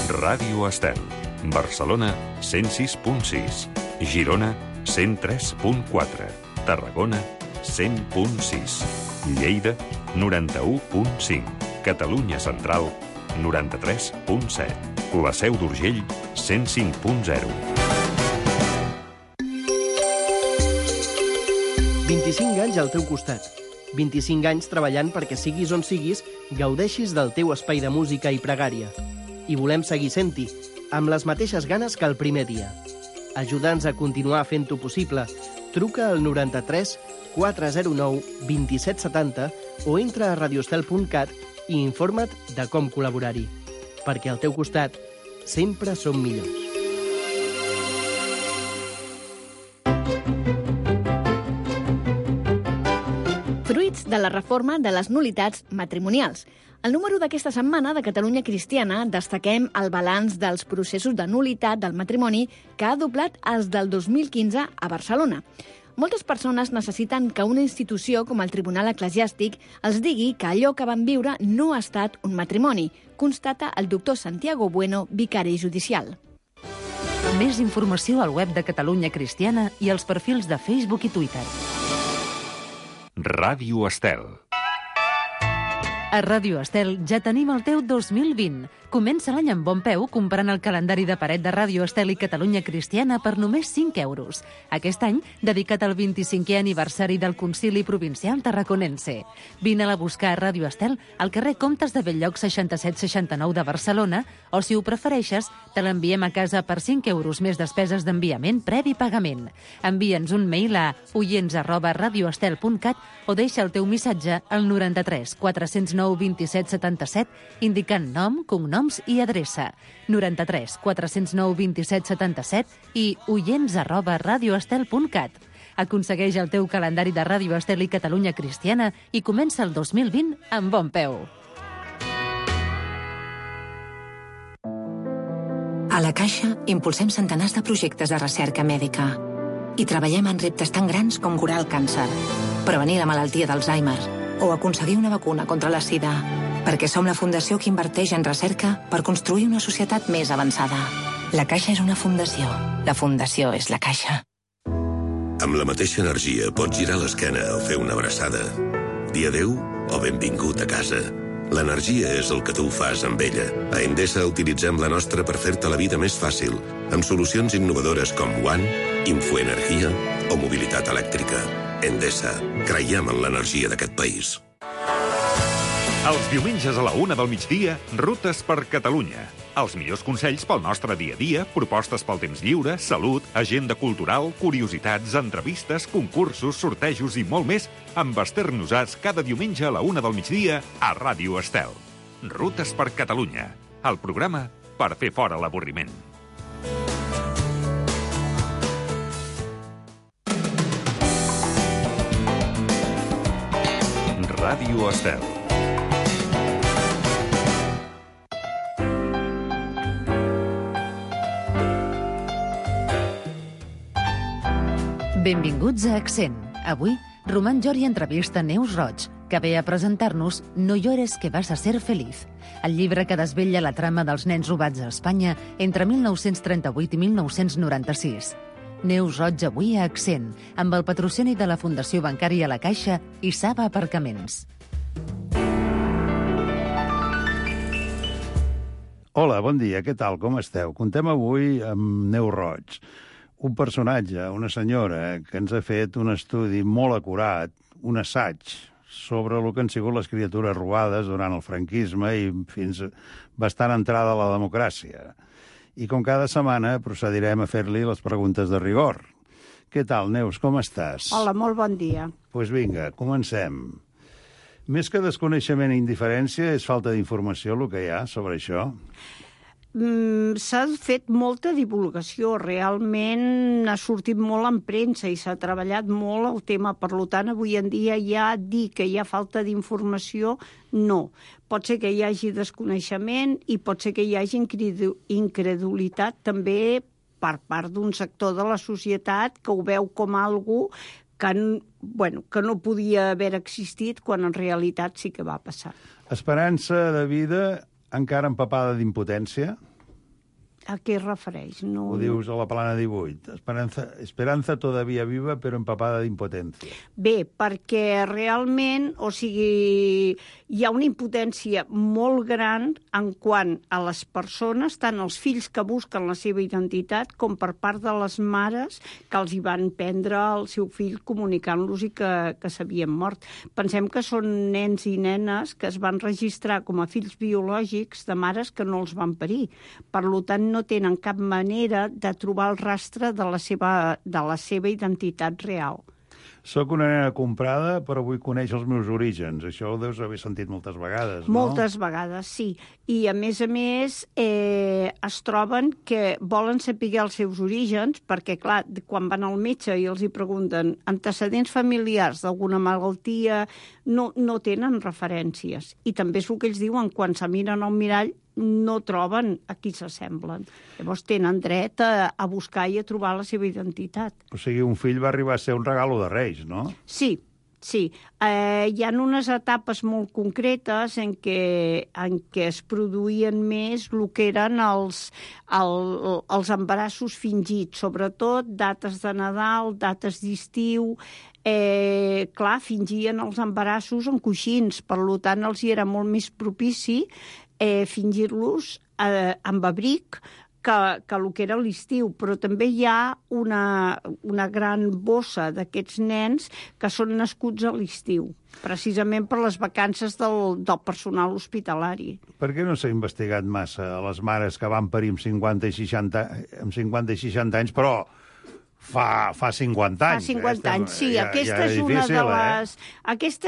Ràdio Estel. Barcelona, 106.6. Girona, 103.4. Tarragona, 100.6. Lleida, 91.5. Catalunya Central, 93.7. La Seu d'Urgell, 105.0. 25 anys al teu costat. 25 anys treballant perquè siguis on siguis, gaudeixis del teu espai de música i pregària. I volem seguir sent-hi, amb les mateixes ganes que el primer dia. Ajuda'ns a continuar fent-ho possible. Truca al 93 409 2770 o entra a radioestel.cat i informa't de com col·laborar-hi. Perquè al teu costat sempre som millors. Fruits de la reforma de les nul·litats matrimonials. Al número d'aquesta setmana de Catalunya Cristiana destaquem el balanç dels processos de nul·litat del matrimoni que ha doblat els del 2015 a Barcelona. Moltes persones necessiten que una institució com el Tribunal Eclesiàstic els digui que allò que van viure no ha estat un matrimoni, constata el doctor Santiago Bueno, vicari judicial. Més informació al web de Catalunya Cristiana i als perfils de Facebook i Twitter. Ràdio Estel. A Ràdio Estel ja tenim el teu 2020. Comença l'any amb bon peu comprant el calendari de paret de Ràdio Estel i Catalunya Cristiana per només 5 euros. Aquest any, dedicat al 25è aniversari del Concili Provincial Tarraconense. Vine-la a buscar a Ràdio Estel al carrer Comtes de Bell-lloc 6769 de Barcelona o, si ho prefereixes, te l'enviem a casa per 5 euros més despeses d'enviament previ pagament. Envia'ns un mail a oients@radioestel.cat o deixa el teu missatge al 93 409 27 77 indicant nom, cognoms i adreça. 93 409 27 77 i oients@radioestel.cat. Aconsegueix el teu calendari de Ràdio Estel i Catalunya Cristiana i comença el 2020 amb bon peu. A la Caixa impulsem centenars de projectes de recerca mèdica i treballem en reptes tan grans com curar el càncer, prevenir la malaltia d'Alzheimer o aconseguir una vacuna contra la sida, perquè som la fundació que inverteix en recerca per construir una societat més avançada. La Caixa és una fundació. La fundació és la Caixa. Amb la mateixa energia pots girar l'esquena o fer una abraçada. Dir adéu o benvingut a casa. L'energia és el que tu fas amb ella. A Endesa utilitzem la nostra per fer-te la vida més fàcil, amb solucions innovadores com One, Infoenergia o mobilitat elèctrica. Endesa. Creiem en l'energia d'aquest país. Els diumenges a la 1 del migdia, Rutes per Catalunya. Els millors consells pel nostre dia a dia, propostes pel temps lliure, salut, agenda cultural, curiositats, entrevistes, concursos, sortejos i molt més amb Esther Nosàs cada diumenge a la 1 del migdia a Ràdio Estel. Rutes per Catalunya, el programa per fer fora l'avorriment. Ràdio Estel. Benvinguts a Accent. Avui, Roman Jori entrevista Neus Roig, que ve a presentar-nos No llores que vas a ser feliz, el llibre que desvetlla la trama dels nens robats a Espanya entre 1938 i 1996. Neus Roig avui a Accent, amb el patrocini de la Fundació Bancària La Caixa i Saba Aparcaments. Hola, bon dia, què tal, com esteu? Contem avui amb Neus Roig, un personatge, una senyora, que ens ha fet un estudi molt acurat, un assaig sobre el que han sigut les criatures robades durant el franquisme i fins bastant entrada a la democràcia. I com cada setmana procedirem a fer-li les preguntes de rigor. Què tal, Neus, com estàs? Hola, molt bon dia. Doncs vinga, comencem. Més que desconeixement i indiferència, és falta d'informació el que hi ha sobre això? S'ha fet molta divulgació, realment ha sortit molt en premsa i s'ha treballat molt el tema, per tant, avui en dia ja dir que hi ha falta d'informació, no. Pot ser que hi hagi desconeixement i pot ser que hi hagi incredulitat també per part d'un sector de la societat que ho veu com algo que no podia haver existit quan en realitat sí que va passar. Esperança de vida encara empapada d'impotència? A què es refereix? No, Ho dius a la plana 18. Esperanza todavía viva, però empapada d'impotència. Bé, perquè realment, o sigui, hi ha una impotència molt gran en quant a les persones, tant els fills que busquen la seva identitat com per part de les mares que els hi van prendre el seu fill comunicant-los i que s'havien mort. Pensem que són nens i nenes que es van registrar com a fills biològics de mares que no els van parir. Per tant, no tenen cap manera de trobar el rastre de la seva identitat real. Soc una nena comprada, però vull conèixer els meus orígens. Això ho deus haver sentit moltes vegades, no? Moltes vegades, sí. I, a més, es troben que volen saber els seus orígens, perquè, clar, quan van al metge i els hi pregunten antecedents familiars d'alguna malaltia, no tenen referències. I també és el que ells diuen, quan se miren al mirall, no troben a qui s'assemblen. Llavors tenen dret a buscar i a trobar la seva identitat. O sigui, un fill va arribar a ser un regalo de Reis, no? Sí. Hi ha unes etapes molt concretes en què es produïen més el que eren els embarassos fingits, sobretot dates de Nadal, dates d'estiu. Fingien els embarassos en coixins, per tant els hi era molt més propici fingir-los amb abric que el que era l'estiu, però també hi ha una gran bossa d'aquests nens que són nascuts a l'estiu, precisament per les vacances del personal hospitalari. Per què no s'ha investigat massa a les mares que van parir amb 50 i 60 anys, però fa 50 anys? Fa 50 anys, sí. Aquesta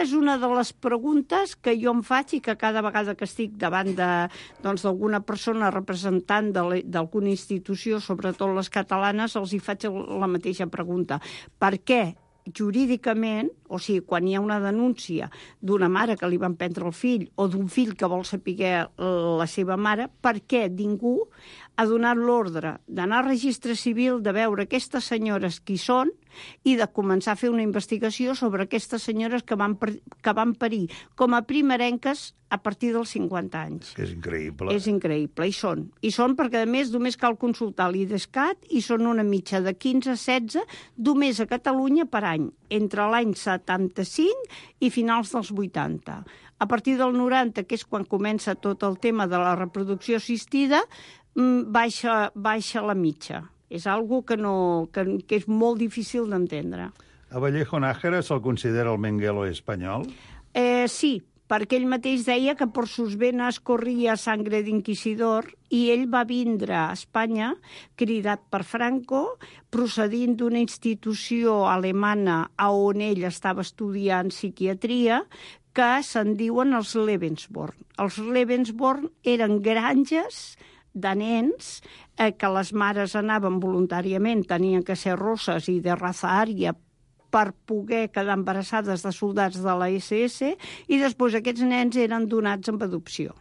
és una de les preguntes que jo em faig i que cada vegada que estic davant d'alguna persona representant d'alguna institució, sobretot les catalanes, els hi faig la mateixa pregunta. Per què jurídicament, o sigui, quan hi ha una denúncia d'una mare que li van prendre el fill o d'un fill que vol saber la seva mare, per què ningú ha donat l'ordre d'anar al registre civil, de veure aquestes senyores qui són i de començar a fer una investigació sobre aquestes senyores que van parir com a primerenques a partir dels 50 anys. Que és increïble. És increïble, i són perquè, a més, només cal consultar l'IDESCAT i són una mitja de 15 a 16 només a Catalunya per any, entre l'any 75 i finals dels 80. A partir del 90, que és quan comença tot el tema de la reproducció assistida, baixa la mitja. És algo que és molt difícil d'entendre. A Vallejo Nájera se'l considera el Mengele espanyol? Sí, perquè ell mateix deia que per sus venes corria sangre d'inquisidor i ell va vindre a Espanya cridat per Franco, procedint d'una institució alemana on ell estava estudiant psiquiatria, que se'n diuen els Lebensborn. Els Lebensborn eren granges de nens que les mares anaven voluntàriament, tenien que ser rosses i de raza ària per poder quedar embarassades de soldats de la SS, i després aquests nens eren donats amb adopció.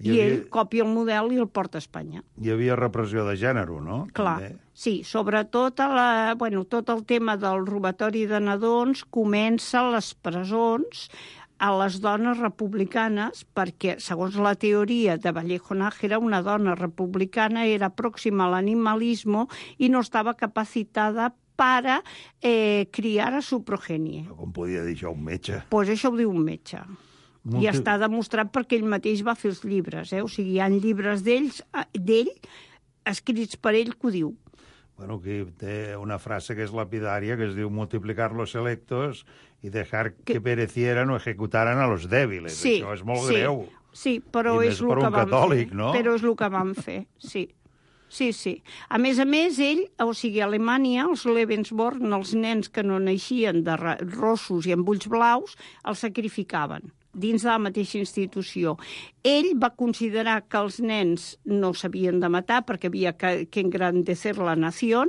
I ell copia el model i el porta a Espanya. Hi havia repressió de gènere, no? Clar, sí. Sobretot tot el tema del robatori de nadons comença a les presons a les dones republicanes, perquè, segons la teoria de Vallejo Nájera, una dona republicana era pròxima a l'animalisme i no estava capacitada per criar a su progenie. Com podia dir això un metge? Doncs això ho diu un metge. I està demostrat perquè ell mateix va fer els llibres. O sigui, hi ha llibres d'ell, escrits per ell, que ho diu. Bueno, aquí té una frase que és lapidària, que es diu multiplicar los electos y dejar que perecieran o ejecutaran a los débiles. Sí, això és molt greu. Sí, però és el que van catòlic, fer. No? Però és el que van fer, sí. Sí. A més, ell, o sigui, a Alemanya, els Lebensborn, els nens que no naixien de rossos i amb ulls blaus, els sacrificaven dins de la mateixa institució. Ell va considerar que els nens no s'havien de matar perquè havia que engrandecer la nació,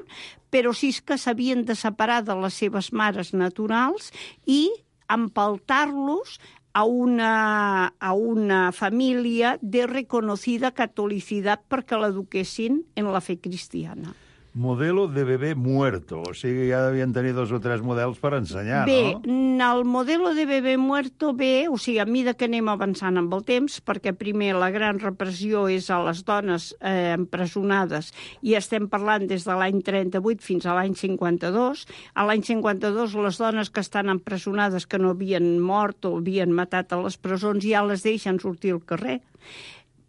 però sí que s'havien de separar de les seves mares naturals i empaltar-los a una família de reconocida catolicidad perquè l'eduquessin en la fe cristiana. Modelo de bebé muerto. O sigui, ja devien tenir 2 o 3 models per ensenyar, Bé, no? el modelo de bebé muerto ve, o sigui, a mida que anem avançant amb el temps, perquè primer la gran repressió és a les dones empresonades, i estem parlant des de l'any 38 fins a l'any 52. A l'any 52 les dones que estan empresonades, que no havien mort o havien matat a les presons, ja les deixen sortir al carrer.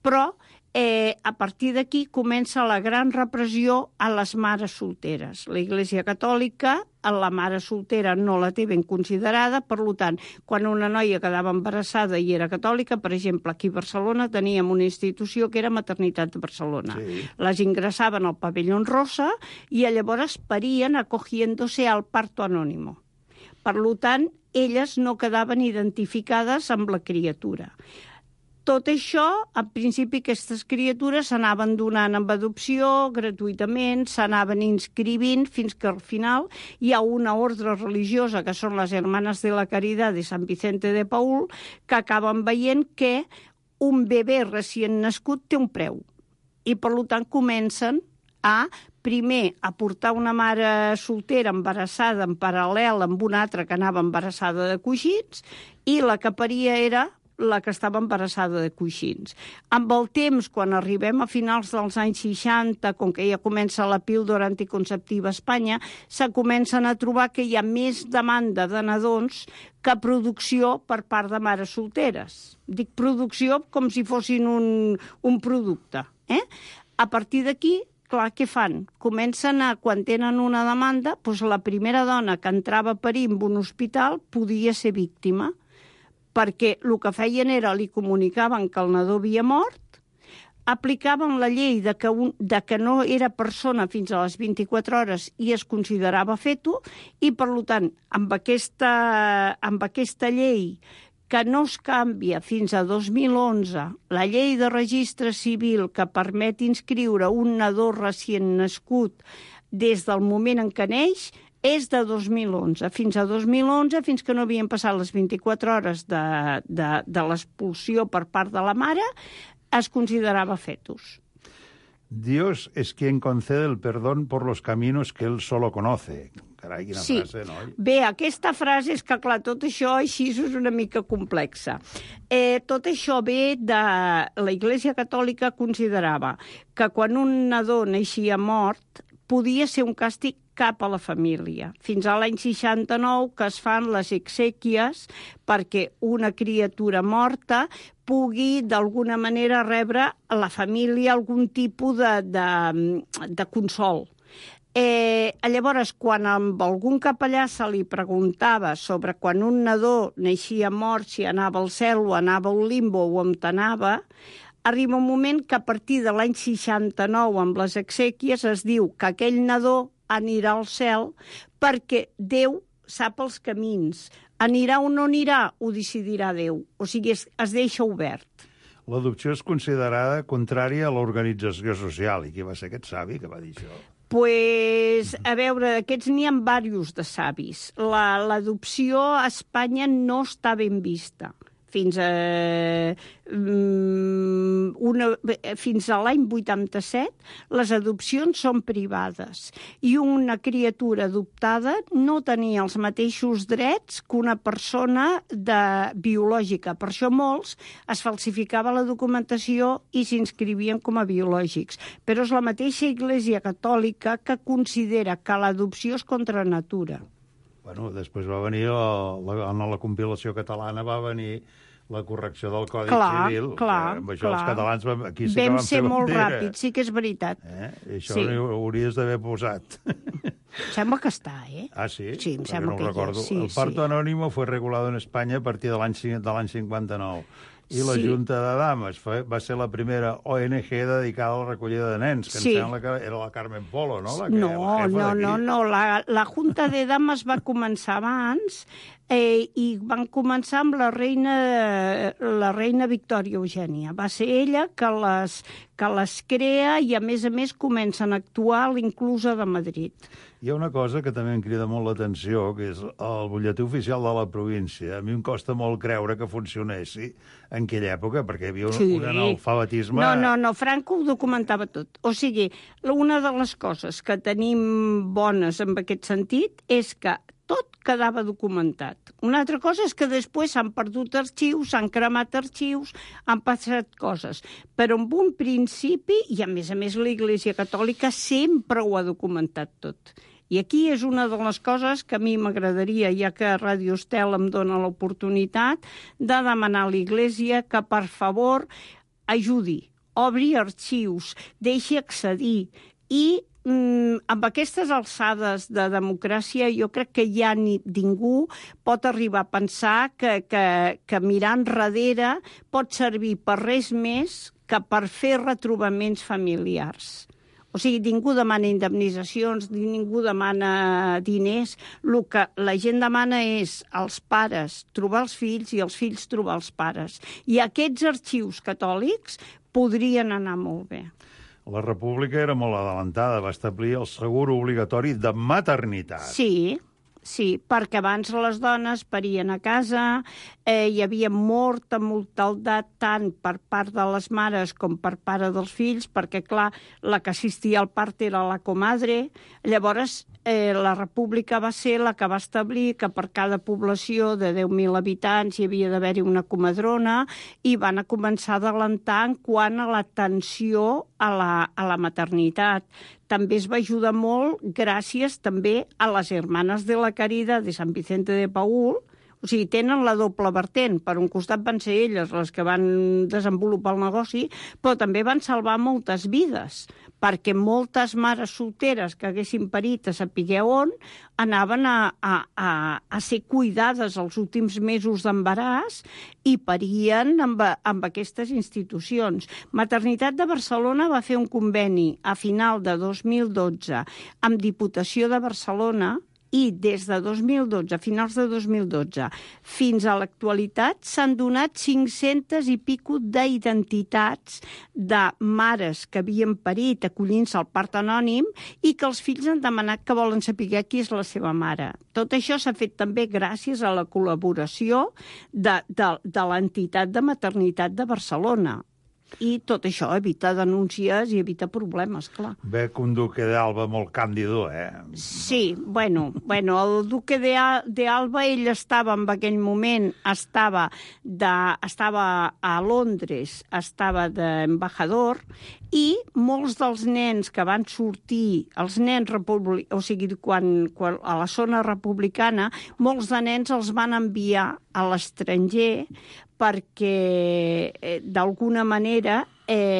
Però a partir d'aquí comença la gran repressió a les mares solteres. La Iglésia Catòlica a la mare soltera no la té ben considerada, per tant, quan una noia quedava embarassada i era catòlica, per exemple, aquí a Barcelona teníem una institució que era Maternitat de Barcelona. Sí. Les ingressaven al pavellón rosa i llavors parien acogiéndose al parto anónimo. Per tant, elles no quedaven identificades amb la criatura. Tot això, al principi, aquestes criatures s'anaven donant amb adopció gratuïtament, s'anaven inscrivint fins que al final hi ha una ordre religiosa, que són les Hermanes de la Caridad de Sant Vicente de Paúl, que acaben veient que un bebè recient nascut té un preu. I, per tant, comencen a, primer, a portar una mare soltera embarassada en paral·lel amb una altra que anava embarassada de coixins, i la que paria era la que estava embarassada de coixins. Amb el temps, quan arribem a finals dels anys 60, com que ja comença la píldora anticonceptiva a Espanya, se comencen a trobar que hi ha més demanda de nadons que producció per part de mares solteres. Dic producció com si fossin un producte. A partir d'aquí, clar, què fan? Comencen a, quan tenen una demanda, doncs la primera dona que entrava a parir en un hospital podia ser víctima, perquè el que feien era, li comunicaven que el nadó havia mort, aplicaven la llei de que no era persona fins a les 24 hores i es considerava feto, i per tant, amb aquesta llei que no es canvia fins a 2011, la llei de registre civil que permet inscriure un nadó recient nascut des del moment en què neix, és de 2011. Fins a 2011, fins que no havien passat les 24 hores de l'expulsió per part de la mare, es considerava fetus. Dios es quien concede el perdón por los caminos que él solo conoce. Carai, quina frase, no? Bé, aquesta frase és que, clar, tot això així és una mica complexa. Tot això ve de... La Iglésia Catòlica considerava que quan un nadó naixia mort podia ser un càstig cap a la família. Fins a l'any 69 que es fan les exèquies perquè una criatura morta pugui d'alguna manera rebre a la família algun tipus de consol. Llavors, quan amb algun capellà se li preguntava sobre quan un nadó naixia mort, si anava al cel o anava al limbo o on anava, arriba un moment que a partir de l'any 69 amb les exèquies es diu que aquell nadó anirà al cel perquè Déu sap els camins. Anirà o no anirà, ho decidirà Déu. O sigui, es deixa obert. L'adopció és considerada contrària a l'organització social. I qui va ser aquest savi que va dir això? Pues, a veure, aquests n'hi ha diversos de savis. L'adopció a Espanya no està ben vista. Fins a l'any 87, les adopcions són privades i una criatura adoptada no tenia els mateixos drets que una persona biològica. Per això molts es falsificava la documentació i s'inscrivien com a biològics. Però és la mateixa Iglésia Catòlica que considera que l'adopció és contra natura. Bueno, després va venir, en la compilació catalana va venir la correcció del Codi Civil. Amb això els catalans aquí sí que vam ser molt ràpids, sí que és veritat. I això ho hauries d'haver posat. Sembla que està, Ah, sí? Sí, em sembla que recordo. Sí, el parto anónimo fue regulado en España a partir de l'any 59. I la Junta de Dames va ser la primera ONG dedicada a la recollida de nens, que em sembla que era la Carmen Polo, no? No. La Junta de Dames va començar abans. i van començar amb la reina Victòria Eugènia. Va ser ella que les crea i, a més, comencen a actuar a l'Inclusa de Madrid. Hi ha una cosa que també em crida molt l'atenció, que és el butlletí oficial de la província. A mi em costa molt creure que funcionessi en aquella època, perquè hi havia un analfabetisme... No, Franco ho documentava tot. O sigui, una de les coses que tenim bones en aquest sentit és que tot quedava documentat. Una altra cosa és que després s'han perdut arxius, s'han cremat arxius, han passat coses. Però en un principi, i a més l'Església Catòlica sempre ho ha documentat tot. I aquí és una de les coses que a mi m'agradaria, ja que Ràdio Estel em dona l'oportunitat, de demanar a l'Església que, per favor, ajudi, obri arxius, deixi accedir i amb aquestes alçades de democràcia jo crec que ja ningú pot arribar a pensar que mirar enrere pot servir per res més que per fer retrobaments familiars. O sigui, ningú demana indemnitzacions, ningú demana diners. El que la gent demana és als pares trobar els fills i els fills trobar els pares. I aquests arxius catòlics podrien anar molt bé. La República era molt adelantada, va establir el segur obligatori de maternitat. Sí, perquè abans les dones parien a casa, hi havia molta mortaldat tant per part de les mares com per part dels fills, perquè, clar, la que assistia al part era la comadre. Llavors, la República va ser la que va establir que per cada població de 10.000 habitants hi havia d'haver-hi una comadrona i van a començar a adelantar en quant a l'atenció a la maternitat. També es va ajudar molt gràcies també a les Hermanes de la Caridad de Sant Vicente de Paúl. O sigui, tenen la doble vertent. Per un costat van ser elles les que van desenvolupar el negoci, però també van salvar moltes vides, perquè moltes mares solteres que haguessin parit a saber on anaven a ser cuidades els últims mesos d'embaràs i parien amb aquestes institucions. Maternitat de Barcelona va fer un conveni a final de 2012 amb Diputació de Barcelona i des de 2012, a finals de 2012, fins a l'actualitat s'han donat 500 i pico d'identitats de mares que havien parit acollint-se al part anònim i que els fills han demanat que volen saber qui és la seva mare. Tot això s'ha fet també gràcies a la col·laboració de l'entitat de maternitat de Barcelona. I tot això evita denúncies i evita problemes, clar. Ve que un duque d'Alba molt càndido, Sí, bueno, el duque d'Alba, ell estava en aquell moment, estava a Londres, estava d'embajador, i molts dels nens que van sortir, els nens o sigui, quan a la zona republicana, molts de nens els van enviar a l'estranger perquè, d'alguna manera,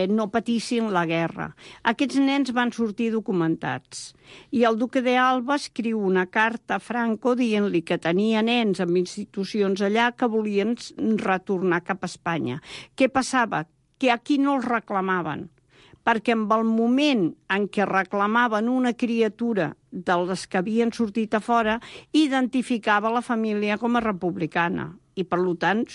no patissin la guerra. Aquests nens van sortir documentats. I el duque d'Alba escriu una carta a Franco dient-li que tenia nens en institucions allà que volien retornar cap a Espanya. Què passava? Que aquí no els reclamaven, perquè en el moment en què reclamaven una criatura de les que havien sortit a fora, identificava la família com a republicana. I, per tant,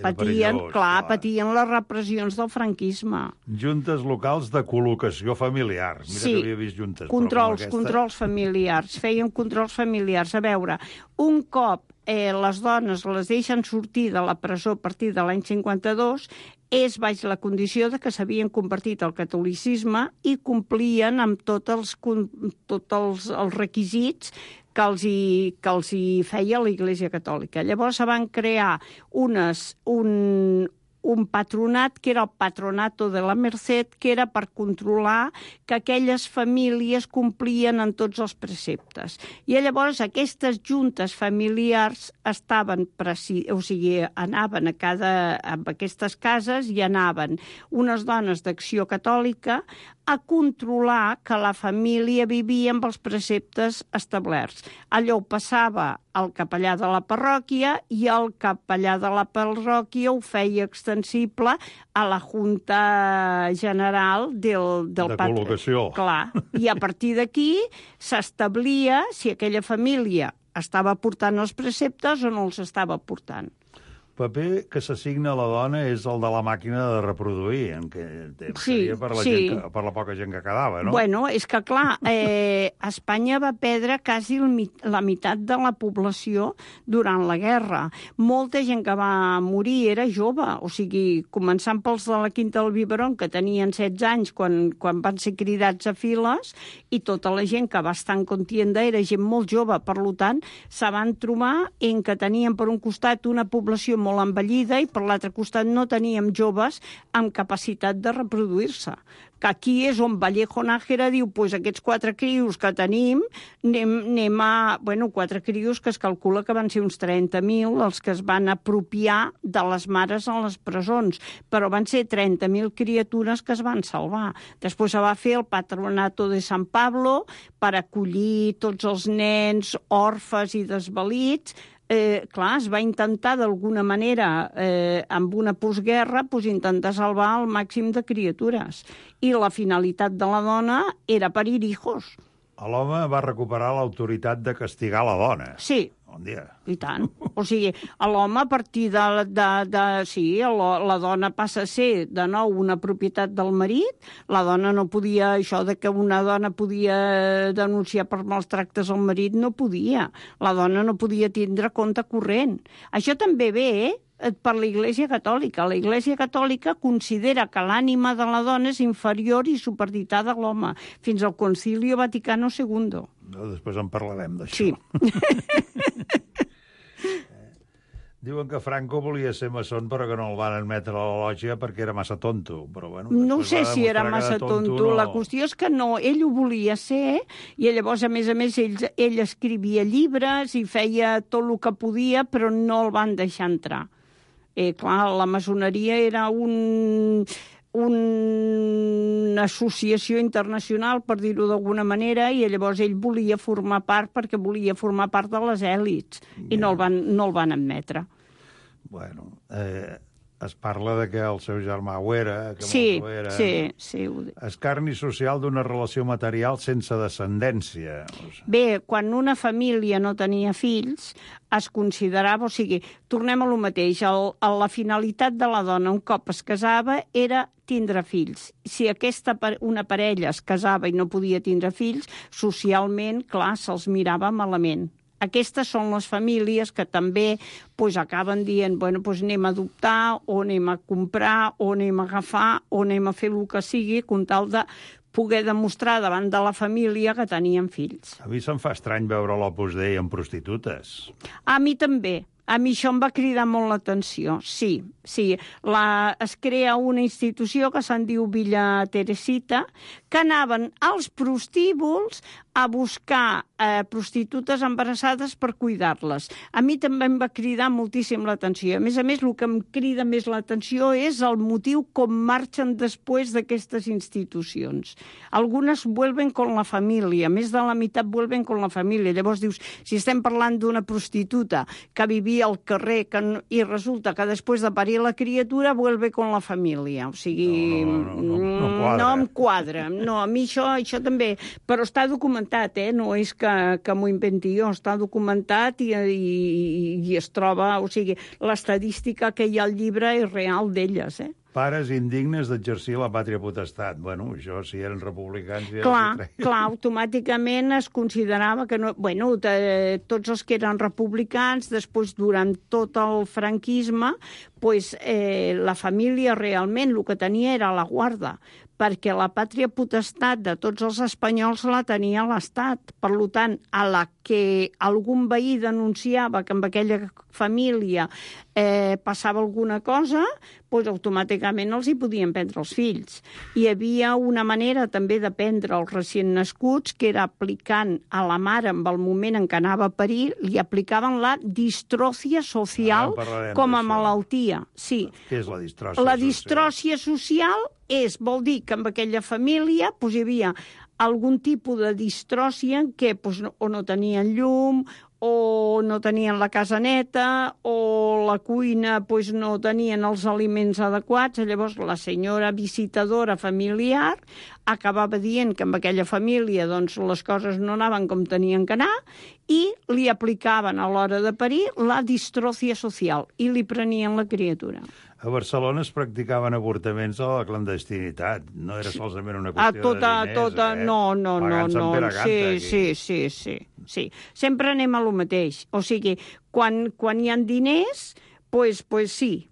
patien les repressions del franquisme. Juntes locals de col·locació familiar. Mira que havia vist juntes. Controls familiars. Feien controls familiars. A veure, un cop les dones les deixen sortir de la presó a partir de l'any 52, és baix la condició de que s'havien convertit al catolicisme i complien amb tots els requisits que els hi feia l'Església Catòlica. Llavors se van crear un patronat, que era el Patronato de la Merced, que era per controlar que aquelles famílies complien en tots els preceptes. I llavors aquestes juntes familiars anaven a aquestes cases i anaven unes dones d'Acció Catòlica a controlar que la família vivia amb els preceptes establerts. Allò ho passava al capellà de la parròquia i el capellà de la parròquia ho feia extensible a la Junta General del de col·locació. Clar. I a partir d'aquí s'establia si aquella família estava portant els preceptes o no els estava portant. Paper que s'assigna a la dona és el de la màquina de reproduir, en què seria per la poca gent que quedava, no? Bueno, és que, clar, Espanya va perdre quasi la meitat de la població durant la guerra. Molta gent que va morir era jove, o sigui, començant pels de la Quinta del Biberón, que tenien 16 anys quan van ser cridats a files, i tota la gent que va estar en contienda era gent molt jove. Per tant, se van trobar en que tenien per un costat una població molt envellida i per l'altre costat no teníem joves amb capacitat de reproduir-se. Que aquí és on Vallejo Nájera diu, doncs aquests 4 crios que tenim, anem a... Bueno, 4 crios que es calcula que van ser uns 30.000 els que es van apropiar de les mares a les presons, però van ser 30.000 criatures que es van salvar. Després se va fer el Patronato de San Pablo per acollir tots els nens orfes i desvalits. Clar, es va intentar d'alguna manera, amb una postguerra, intentar salvar el màxim de criatures. I la finalitat de la dona era parir hijos. L'home va recuperar l'autoritat de castigar la dona. Sí. Bon dia. I tant. O sigui, l'home a partir sí, la dona passa a ser de nou una propietat del marit, la dona no podia, això de que una dona podia denunciar per mals tractes al marit, no podia. La dona no podia tindre compte corrent. Això també ve, per l'Iglésia Catòlica. La Iglésia Catòlica considera que l'ànima de la dona és inferior i superditada a l'home, fins al Concilio Vaticano II. Després en parlarem d'això. Sí. Diuen que Franco volia ser maçon però que no el van admetre a la lògia perquè era massa tonto. Però, bueno, no sé si era massa tonto. No. La qüestió és que no, ell ho volia ser i llavors, a més, ell escrivia llibres i feia tot el que podia, però no el van deixar entrar. Clar, la maçoneria era una associació internacional, per dir-ho d'alguna manera, i llavors ell volia formar part perquè volia formar part de les èlits i no el van admetre. Bueno, es parla de que el seu germà ho era, que sí, molt ho era. Sí. Escarni social d'una relació material sense descendència. Bé, quan una família no tenia fills, es considerava, o sigui, tornem a lo mateix, la finalitat de la dona un cop es casava era tindre fills. Si una parella es casava i no podia tindre fills, socialment, clar, se'ls mirava malament. Aquestes són les famílies que també acaben dient, bueno, anem a adoptar, o anem a comprar, o anem a agafar, o anem a fer el que sigui, com tal de poder demostrar davant de la família que tenien fills. A mi se'm fa estrany veure l'Opus Dei amb prostitutes. A mi també. A mi això em va cridar molt l'atenció, sí. Es crea una institució que se'n diu Villa Teresita, que anaven als prostíbuls a buscar prostitutes embarassades per cuidar-les. A mi també em va cridar moltíssim l'atenció. A més, el que em crida més l'atenció és el motiu com marxen després d'aquestes institucions. Algunes vuelven con la família, més de la meitat vuelven con la família. Llavors dius, si estem parlant d'una prostituta que vivia al carrer i resulta que després de parir la criatura vuelve con la família. O sigui, no em quadra. No, a mi això també... Però està documentat, no és que m'ho inventi jo, està documentat i es troba... O sigui, l'estadística que hi ha al llibre és real d'elles, Pares indignes d'exercir la pàtria potestat. Bueno, això, si eren republicans... Clar, automàticament es considerava que no... Bueno, tots els que eren republicans, després, durant tot el franquisme, la família realment el que tenia era la guarda, perquè la pàtria potestat de tots els espanyols la tenia l'Estat. Per tant, a la que algun veí denunciava que amb aquella família passava alguna cosa, automàticament els hi podien prendre els fills. Hi havia una manera també de prendre els recient nascuts, que era aplicant a la mare, en el moment en què anava a parir, li aplicaven la distròcia social com a malaltia. Sí. Què és la distròcia social? La distròcia social vol dir que en aquella família hi havia algun tipus de distròcia en què o no tenien llum, o no tenien la casa neta, o la cuina pues, no tenien els aliments adequats. Llavors, la senyora visitadora familiar acabava dient que amb aquella família doncs, les coses no anaven com tenien que anar i li aplicaven a l'hora de parir la distròcia social i li prenien la criatura. A Barcelona es practicaven avortaments a la clandestinitat. No era solament una qüestió de diners, No. Sí. Sempre anem a lo mateix. O sigui, quan hi ha diners, pues sí,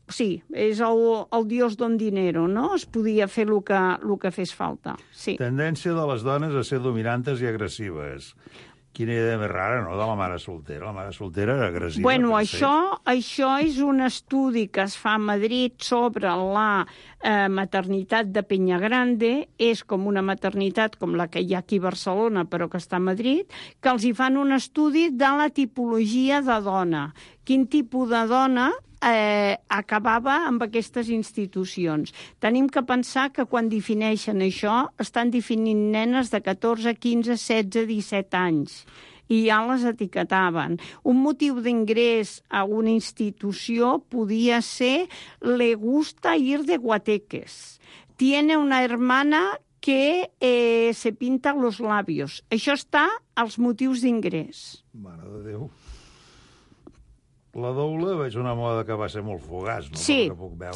és el dios don dinero, no? Es podia fer el que fes falta. Sí. Tendència de les dones a ser dominantes i agressives. Quina idea més rara, no?, de la mare soltera. La mare soltera era agressiva. Bueno, això és un estudi que es fa a Madrid sobre la maternitat de Peñagrande. És com una maternitat com la que hi ha aquí a Barcelona, però que està a Madrid, que els hi fan un estudi de la tipologia de dona. Quin tipus de dona acabava amb aquestes institucions. Tenim que pensar que quan defineixen això estan definint nenes de 14, 15, 16, 17 anys i ja les etiquetaven. Un motiu d'ingrés a una institució podia ser le gusta ir de guateques. Tiene una hermana que se pinta los labios. Això està als motius d'ingrés. Mare de Déu. La doula veig una moda que va ser molt fugaç, no? Sí, que puc veure.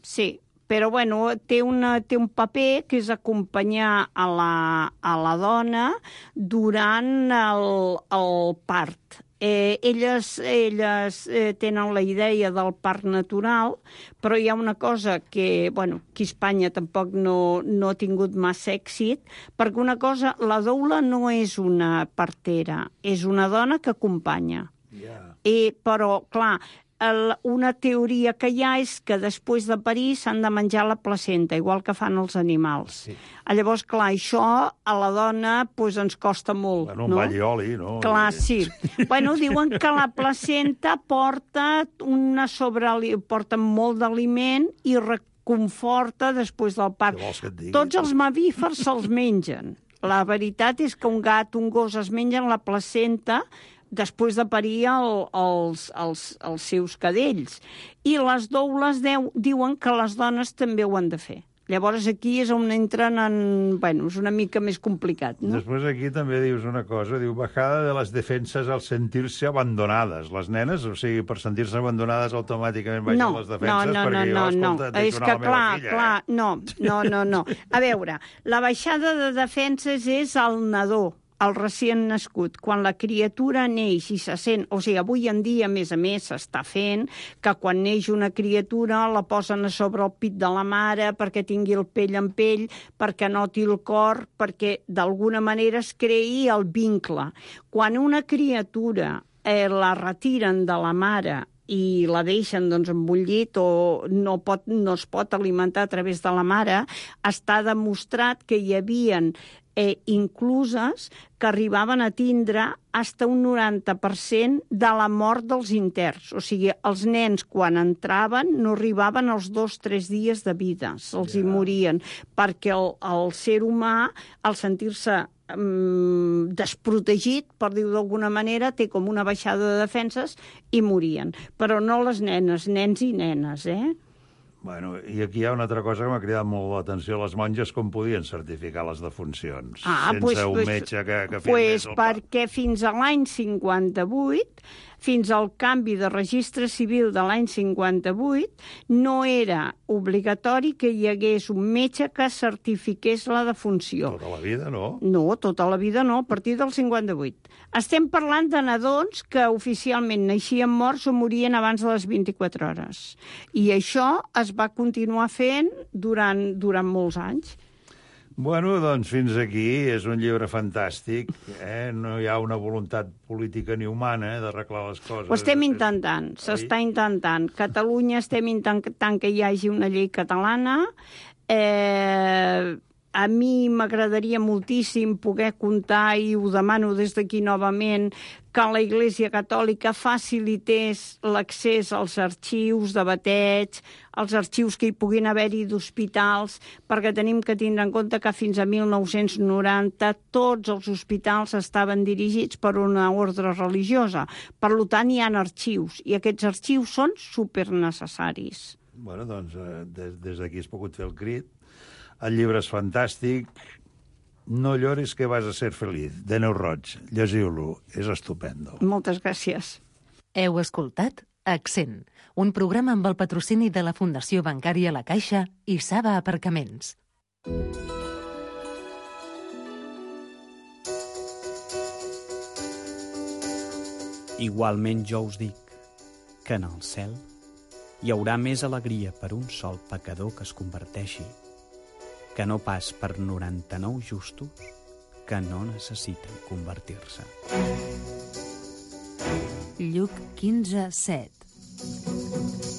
sí. Però, bueno, té un paper que és acompanyar a la dona durant el part. Elles tenen la idea del part natural, però hi ha una cosa que, bueno, aquí a Espanya tampoc no ha tingut massa èxit, perquè una cosa, la doula no és una partera, és una dona que acompanya. Però, clar, una teoria que hi ha és que després de parir s'han de menjar la placenta, igual que fan els animals. Sí. Llavors, clar, això a la dona ens costa molt. Bueno, un ball i oli, no? Clar, sí. Bueno, diuen que la placenta porta molt d'aliment i reconforta després del part. Tots els mamífers se'ls mengen. La veritat és que un gat, un gos es mengen la placenta després de parir els seus cadells. I les doules diuen que les dones també ho han de fer. Llavors aquí és on entren és una mica més complicat, no? Després aquí també dius una cosa, diu bajada de les defenses al sentir-se abandonades. Les nenes, o sigui, per sentir-se abandonades automàticament baixen les defenses perquè jo, escolta, deixo anar la meva filla. No. A veure, la baixada de defenses és el nadó, el recient nascut, quan la criatura neix i se sent... O sigui, avui en dia, a més, s'està fent que quan neix una criatura la posen a sobre el pit de la mare perquè tingui el pell en pell, perquè noti el cor, perquè d'alguna manera es creï el vincle. Quan una criatura la retiren de la mare i la deixen en un llit o no es pot alimentar a través de la mare, està demostrat que hi havien incluses que arribaven a tindre fins a un 90% de la mort dels interns. O sigui, els nens, quan entraven, no arribaven als 2-3 dies de vida, se'ls hi morien, perquè el ser humà, al sentir-se desprotegit, per dir-ho d'alguna manera, té com una baixada de defenses i morien. Però no les nenes, nens i nenes, Bueno, i aquí hi ha una altra cosa que m'ha cridat molt l'atenció. Les monges com podien certificar les defuncions? Sense un metge que firmés el part. Perquè fins a l'any 58, fins al canvi de registre civil de l'any 58, no era obligatori que hi hagués un metge que certifiqués la defunció. Tota la vida, no? No, tota la vida no, a partir del 58. Estem parlant de nadons que oficialment naixien morts o morien abans de les 24 hores. I això es va continuar fent durant molts anys. Bueno, doncs fins aquí. És un llibre fantàstic. No hi ha una voluntat política ni humana d'arreglar les coses. Ho estem intentant, s'està intentant. Catalunya estem intentant que hi hagi una llei catalana. A mi m'agradaria moltíssim poder comptar, i ho demano des d'aquí novament, que la Iglésia Catòlica facilités l'accés als arxius de bateig, als arxius que hi puguin haver-hi d'hospitals, perquè tenim que tindre en compte que fins a 1990 tots els hospitals estaven dirigits per una ordre religiosa. Per tant, hi ha arxius, i aquests arxius són supernecessaris. Bueno, doncs, des d'aquí has pogut fer el crit. El llibre és fantàstic. No llores que vas a ser feliz, de Neu Roig. Llegiu-lo, és estupendo. Moltes gràcies. Heu escoltat Accent, un programa amb el patrocini de la Fundació Bancària La Caixa i Saba Aparcaments. Igualment jo us dic que en el cel hi haurà més alegria per un sol pecador que es converteixi que no pas per 99 justos que no necessiten convertir-se. Lluc 15:7.